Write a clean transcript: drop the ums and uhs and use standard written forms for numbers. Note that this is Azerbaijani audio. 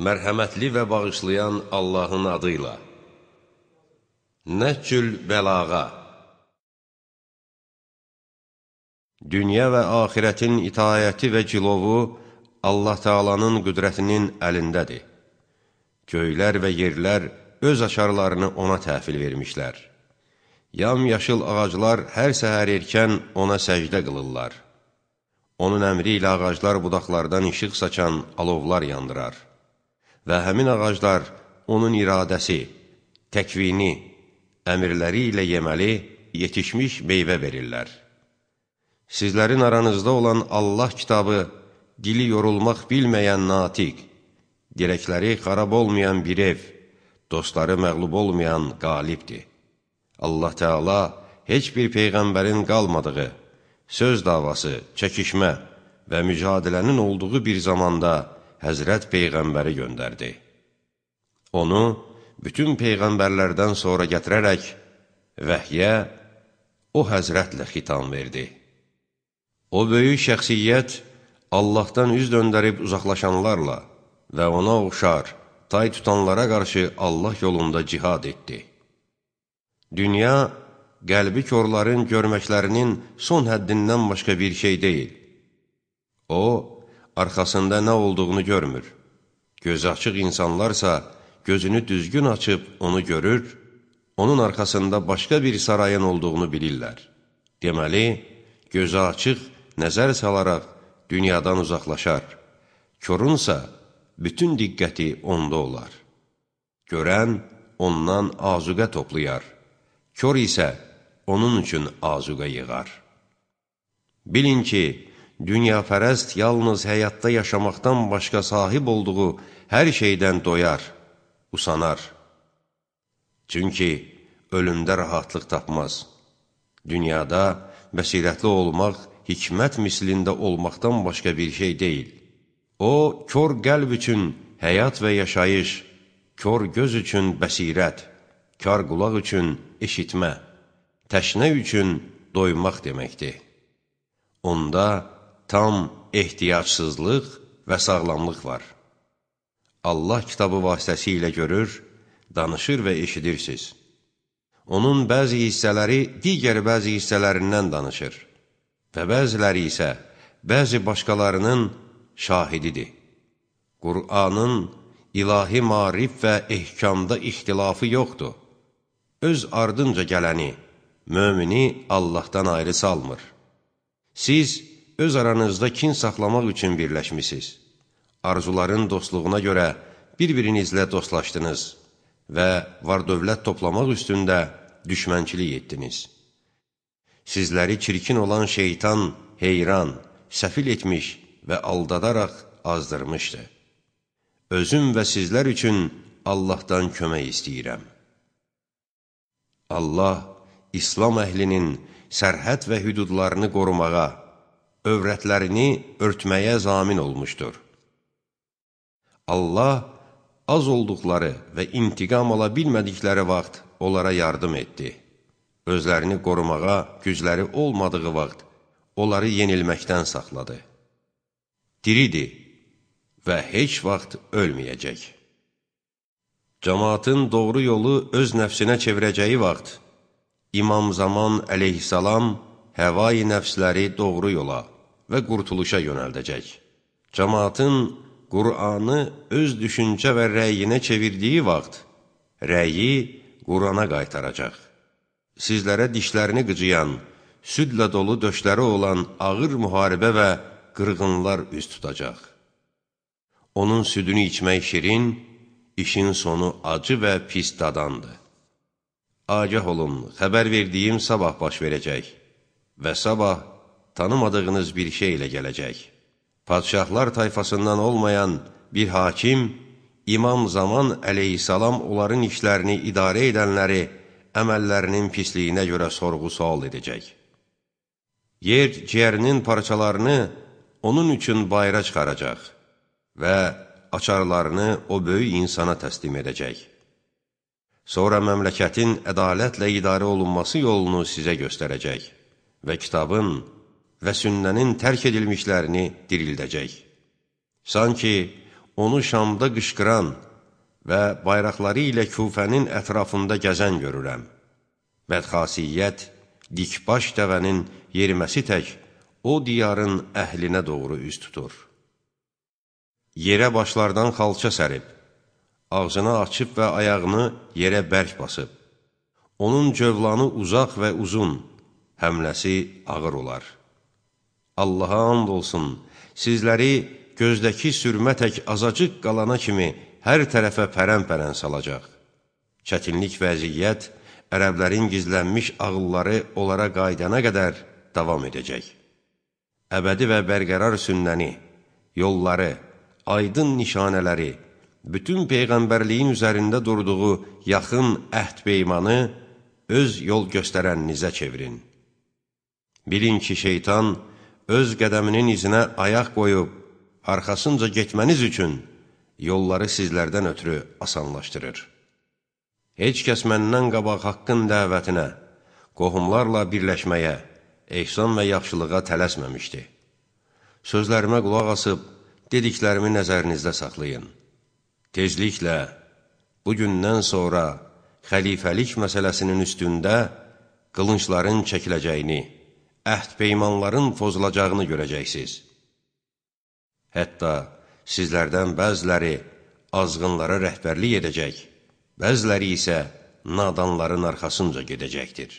Mərhəmətli və bağışlayan Allahın adıyla. Nəhcül bəlağa. Dünya və axirətin itayəti və cilovu Allah Teala'nın qüdrətinin əlindədir. Göylər və yerlər öz açarlarını ona təhvil vermişlər. Yamyaşıl ağaclar hər səhər erkən ona səcdə qılırlar. Onun əmri ilə ağaclar budaqlardan işıq saçan alovlar yandırar. Və həmin ağaclar onun iradəsi, təkvini, əmirləri ilə yeməli, yetişmiş meyvə verirlər. Sizlərin aranızda olan Allah kitabı, dili yorulmaq bilməyən natiq, dirəkləri xarab olmayan bir ev, dostları məğlub olmayan qalibdir. Allah Teala heç bir peyğəmbərin qalmadığı, söz davası, çəkişmə və mücadilənin olduğu bir zamanda Həzrət Peyğəmbəri göndərdi. Onu bütün peyğəmbərlərdən sonra gətirərək vəhyə o Həzrətlə xitam verdi. O böyük şəxsiyyət Allahdan üz döndərib uzaqlaşanlarla və ona oxşar, tay tutanlara qarşı Allah yolunda cihad etdi. Dünya, qəlbi körlərin görməklərinin son həddindən başqa bir şey deyil. O, arxasında nə olduğunu görmür. Gözü açıq insanlarsa gözünü düzgün açıb onu görür, onun arxasında başqa bir sarayın olduğunu bilirlər. Deməli, gözü açıq nəzər salaraq dünyadan uzaqlaşar. Körünsə bütün diqqəti onda olar. Görən ondan azuqə toplayar. Kör isə onun üçün azuqə yığar. Bilin ki, dünyapərəst yalnız həyatda yaşamaqdan başqa sahib olduğu hər şeydən doyar, usanar. Çünki ölümdə rahatlıq tapmaz. Dünyada bəsirətli olmaq, hikmət mislində olmaqdan başqa bir şey deyil. O, kör qəlb üçün həyat və yaşayış, kör göz üçün bəsirət, kar qulaq üçün eşitmə, təşnə üçün doymaq deməkdir. Onda tam ehtiyacsızlıq və sağlamlıq var. Allah kitabı vasitəsilə görür, danışır və eşidirsiniz. Onun bəzi hissələri digər bəzi hissələrindən danışır və bəziləri isə bəzi başqalarının şahididir. Qur'anın ilahi marif və ehkamda ixtilafı yoxdur. Öz ardınca gələni, mömini Allahdan ayrı salmır. Siz öz aranızda kin saxlamaq üçün birləşmisiniz. Arzuların dostluğuna görə bir-birinizlə dostlaşdınız və var-dövlət toplamaq üstündə düşmənçilik etdiniz. Sizləri çirkin olan şeytan heyran, səfil etmiş və aldadaraq azdırmışdı. Özüm və sizlər üçün Allahdan kömək istəyirəm. Allah, İslam əhlinin sərhəd və hüdudlarını qorumağa, övrətlərini örtməyə zamin olmuşdur. Allah, az olduqları və intiqam ala bilmədikləri vaxt onlara yardım etdi. Özlərini qorumağa gücləri olmadığı vaxt onları yenilməkdən saxladı. Diridir və heç vaxt ölməyəcək. Cəmaatın doğru yolu öz nəfsinə çevirəcəyi vaxt, İmam Zaman əleyhissalam həvai nəfsləri doğru yola və qurtuluşa yönəldəcək. Cəmaatın Qur'anı öz düşüncə və rəyinə çevirdiyi vaxt, rəyi Qur'ana qaytaracaq. Sizlərə dişlərini qıcıyan, südlə dolu döşləri olan ağır müharibə və qırğınlar üz tutacaq. Onun südünü içmək şirin, işin sonu acı və pis dadandır. Agah olun, xəbər verdiyim sabah baş verəcək və sabah tanımadığınız bir şey ilə gələcək. Padşahlar tayfasından olmayan bir hakim, İmam Zaman əleyhissalam onların işlərini idarə edənləri əməllərinin pisliyinə görə sorğu-sual edəcək. Yer ciyərinin parçalarını onun üçün bayıra çıxaracaq və açarlarını o böyük insana təslim edəcək. Sonra məmləkətin ədalətlə idarə olunması yolunu sizə göstərəcək və kitabın və sünnənin tərk edilmişlərini dirildəcək. Sanki onu Şamda qışqıran və bayraqları ilə Küfənin ətrafında gəzən görürəm. Bədxasiyyət, dikbaş dəvənin yeriməsi tək o diyarın əhlinə doğru üz tutur. Yerə başlardan xalça sərib, ağzını açıb və ayağını yerə bərk basıb. Onun cövlanı uzaq və uzun, həmləsi ağır olar. Allaha and olsun, sizləri gözdəki sürmə tək azacıq qalana kimi hər tərəfə pərən-pərən salacaq. Çətinlik vəziyyət, ərəblərin gizlənmiş ağılları onlara qaydana qədər davam edəcək. Əbədi və bərqərar sünnəni, yolları, aydın nişanələri, bütün Peyğəmbərliyin üzərində durduğu yaxın əhd-peymanı öz yol göstərəninizə çevirin. Bilin ki, şeytan öz qədəminin izinə ayaq qoyub, arxasınca getməniz üçün yolları sizlərdən ötürü asanlaşdırır. Heç kəs məndən qabaq haqqın dəvətinə, qohumlarla birləşməyə, ehsan və yaxşılığa tələsməmişdi. Sözlərimə qulaq asıb, dediklərimi nəzərinizdə saxlayın. Tezliklə, bugündən sonra xəlifəlik məsələsinin üstündə qılıncların çəkiləcəyini, əhd-peymanların pozulacağını görəcəksiniz. Hətta sizlərdən bəziləri azğınlara rəhbərlik edəcək, bəziləri isə nadanların arxasınca gedəcəkdir.